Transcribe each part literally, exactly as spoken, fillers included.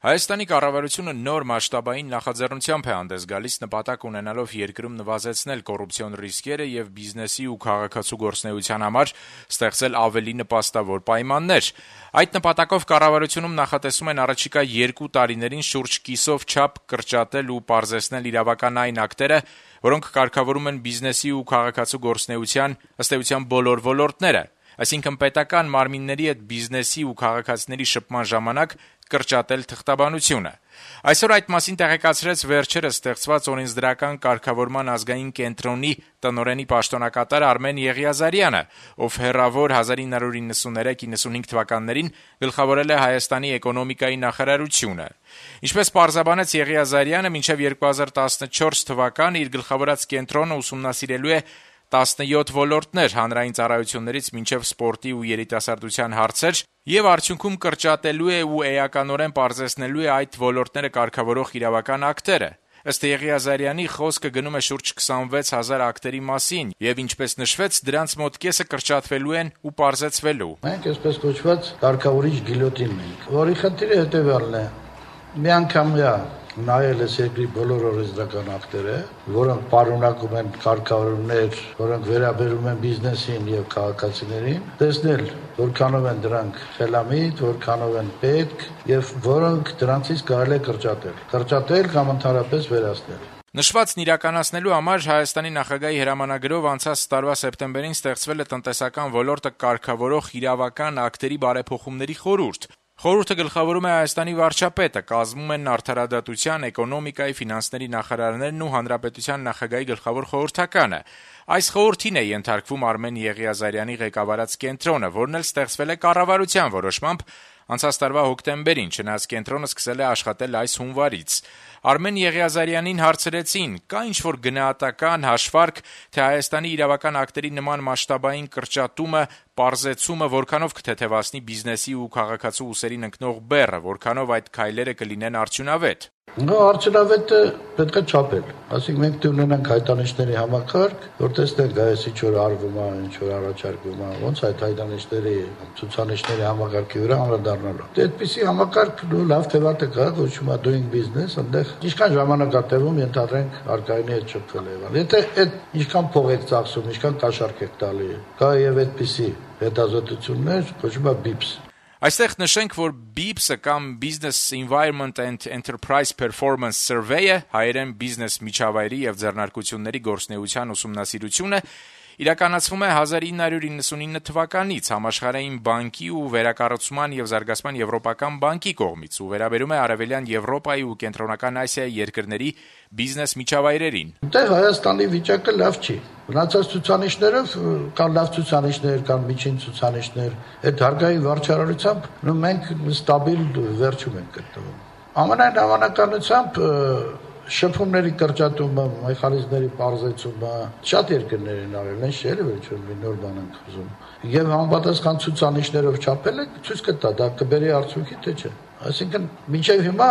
Հայաստանի կառավարությունը նոր մասշտաբային նախաձեռնությամբ է հանդես գալիս նպատակ ունենալով երկրում նվազեցնել կոռուպցիոն ռիսկերը եւ բիզնեսի ու քաղաքացու գործունեության համար ստեղծել ավելի նպաստավոր պայմաններ։ Այդ նպատակով կառավարությունում նախատեսում են առաջիկա երկու տարիներին շուրջ կիսով չափ կրճատել ու պարզեցնել իրավական այն ակտերը, որոնք կարգավորում են բիզնեսի ու քաղաքացու գործունեության ըստ էության բոլոր ոլորտները, այսինքն պետական մարմինների հետ բիզնեսի ու քաղաքացիների շփման ժամանակ կրճատել թղթաբանությունը։ Այսօր այդ մասին տեղեկացրեց վերջերս ստեղծված օրենսդրական կարգավորման ազգային կենտրոնի տնօրենի պաշտոնակատար Արմեն Եղիազարյանը, ով հեռավոր հազար ինը հարյուր իննսուններեք իննսունհինգ թվականներին գլխավորել է Հայաստանի էկոնոմիկայի նախարարությունը։ Ինչպես պարզաբանեց Եղիազարյանը, մինչև երկու հազար տասնչորս թվականը իր գլխավորած կենտրոնը ուսումնասիրելու է տասնյոթ ոլորտներ հանրային ծառայություններից մինչև սպորտի ու երիտասարդության հարցեր եւ արդյունքում կրճատելու է ու էականորեն պարզեցնելու է այդ ոլորտները կարգավորող իրավական ակտերը։ Ըստ Եղիազարյանի խոսքը գնում է շուրջ քսանվեց հազար ակտերի մասին եւ ինչպես նշվեց, դրանց մոտ կեսը կրճատվելու են ու պարզեցվելու։ Մենք այսպես կոչված կարգավորիչ գիլյոտին ենք, որի խնդիրը հետեւյալն է. միանգամյա նայել ես երկրի բոլոր օրենսդրական ակտերը, որոնք պարունակում են կարգավորումներ, որոնք վերաբերում են բիզնեսին եւ քաղաքացիներին, տեսնել որքանով են դրանք խելամիտ, որքանով են պետք եւ որոնք դրանցից կարելի է կրճատել, կրճատել կամ ընդհանրապես վերացնել։ Նշվածն իրականացնելու համար Հայաստանի նախագահի հրամանագրով անցած տարվա սեպտեմբերին ստեղծվել է տնտեսական ոլորտը կարգավորող իրավական ակտերի բարեփոխումների խորհուրդ։ Խորհուրդը գլխավորում է Հայաստանի վարչապետը, կազմում են արդարադատության, էկոնոմիկայի, ֆինանսների նախարարներն ու հանրապետության նախագահի գլխավոր խորհրդականը։ Այս խորհրդին է ենթարկվում Արմեն Եղիազարյանի ղեկավարած կենտրոնը, որն էլ ստեղծվել է կառավարության որոշմամբ անցած տարվա հոկտեմբերին, չնայած կենտրոնը սկսել է աշխատել այս հունվարից։ Արմեն Եղիազարյանին հարցրեցին, կա ինչ-որ գնահատական հաշվարկ, թե Հայաստանի իրավական ակտերի նման մասշտաբային կրճատումը, պարզեցումը որքանով կթեթևացնի բիզնեսի ու քաղաքացու ուսերին ընկնող բեռը, որքանով այդ քայլերը կլինեն արդյունավետ։ Նո, արդյունավետը պետք է չափել։ Այսինքն մենք դու ունենանք հայտանիշների համակարգ, որ տեսնենք այս ինչ որ արվում է, ինչ որ առաջարկվում է, ոնց այդ հայտանիշների ցուցանիշների համակարգի վրա անդրադառնալու։ Դե այդպիսի համակարգ ու լավ թեվատ է կա, կոչվում է doing business, այնտեղ ինչքան ժամանակատևում ենթադրենք արկայինի հետ շփվել է եղել։ Եթե այդ ինչքան փող եք ծախսում, ինչքան կաշառք եք տալի, կա եւ այդպիսի հետազոտություններ, կոչվում է B I P S։ Այստեղ նշենք, որ B I P S-ը կամ Business Environment and Enterprise Performance Survey-ը, հայերեն բիզնես միջավայրի եւ ձեռնարկությունների գործունեության ուսումնասիրությունը, իրականացվում է հազար ինը հարյուր իննսունինը թվականից Համաշխարհային բանկի ու վերակառուցման եւ զարգացման եվրոպական բանկի կողմից ու վերաբերում է Արևելյան Եվրոպայի ու Կենտրոնական Ասիայի երկրների բիզնես միջավայրերին։ Դե Հայաստանի վիճակը լավ չի։ Մնացած ցուցանիշներով կան լավ ցուցանիշներ, կան միջին ցուցանիշներ, այդ հարկային վարչարարությամբ մենք ստաբիլ վերջում ենք գտնվում։ Ամենայն հավանականությամբ շփումների կրճատումը, մեխանիզմների պարզեցումը շատ երկրներ են արել, այն չէ՞ որ ինչ-որ մի նոր բան են ուզում։ Եվ համապատասխան ցուցանիշներով չափելը ցույց կտա, դա կբերի արդյունքի թե չէ։ Այսինքն մինչև հիմա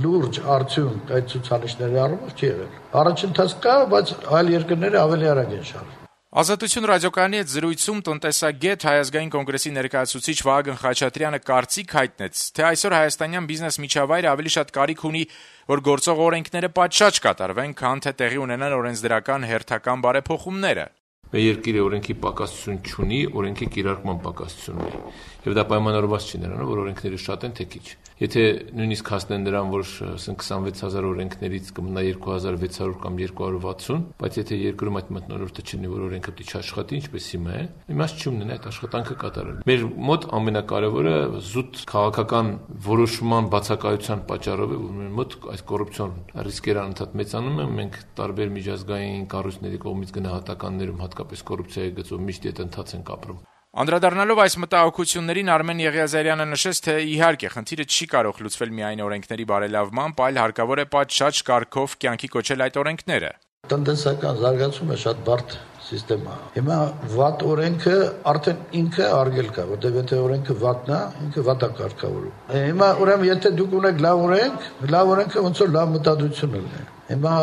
լուրջ արդյունք այդ ցուցանիշների առումով չի եղել։ Առաջընթաց կա, բայց այլ երկրները ավելի արագ են շարժվում։ Ազատություն ռադիոկայանի հետ զրույցում տնտեսագետ Հայ ազգային կոնգրեսի ներկայացուցիչ Վահագն Խաչատրյանը կարծիք հայտնեց, թե այսօր հայաստանյան բիզնես միջավայրը ավելի շատ կարիք ունի, որ գործող օրենքները պատշաճ կատարվեն, քան թե տեղի ունենան օրենսդրական հերթական բարեփոխումները։ Մեր երկիրը օրենքի պակասություն չունի, օրենքի կիրառման պակասություն ունի։ Եվ դա պայմանավորված չի նրանով, որ օրենքները շատ են թե քիչ։ Եթե նույնիսկ հասնեն նրան, որ ասենք քսանվեց հազար օրենքներից կմնա երկու հազար վեց հարյուր կամ երկու հարյուր վաթսուն, բայց եթե երկրում այդ մթնոլորտը չլինի, որ օրենքը պետք է աշխատի, ինչպես հիմա է, իմաստ չի ունենա այդ աշխատանքը կատարել։ Մեր մոտ ամենակարևորը զուտ քաղաքական որոշման բացակայության պատճառով է, որ մեր մոտ այս կոռուպցիոն ռիսկերը անընդհատ մեծանում են, մենք տարբեր միջազգային կառույցների կողմից գնահատականներում հատկապես կոռուպցիայի գծով միշտ այդ ընթաց ենք ապրում։ Անդրադառնալով այս մտահոգություններին Արմեն Եղիազարյանը նշեց, թե իհարկե խնդիրը չի կարող լուծվել միայն օրենքների բարելավմամբ, այլ հարկավոր է պատշաճ կարգով կյանքի կոչել այդ օրենքները։ Տնտեսական զարգացումը շատ բարդ սիստեմա։ Հիմա վատ օրենքը արդեն ինքը արգել կա, որտեղ եթե օրենքը վատն է, ինքը վատ է կարգավորում։ Հիմա ուրեմն եթե դուք ունեք լավ օրենք, լավ օրենքը ոնց որ լավ մտադրություն ունի։ Հիմա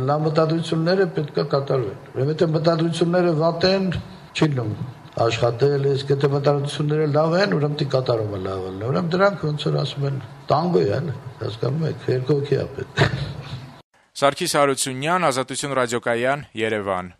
լավ մտադրությունները պետք է կատարվեն։ Ուրեմն եթե մտադրությունները վատ են, չի լինում աշխատել, իսկ եթե մտածությունները լավ են, ուրեմն դի կատարումը լավ է։ Ուրեմն դրանք ոնց որ ասում են, տանգո է, հասկանում եք, երկու հոգի է պետք։ Սարգիս Հարությունյան, Ազատություն ռադիոկայան, Երևան։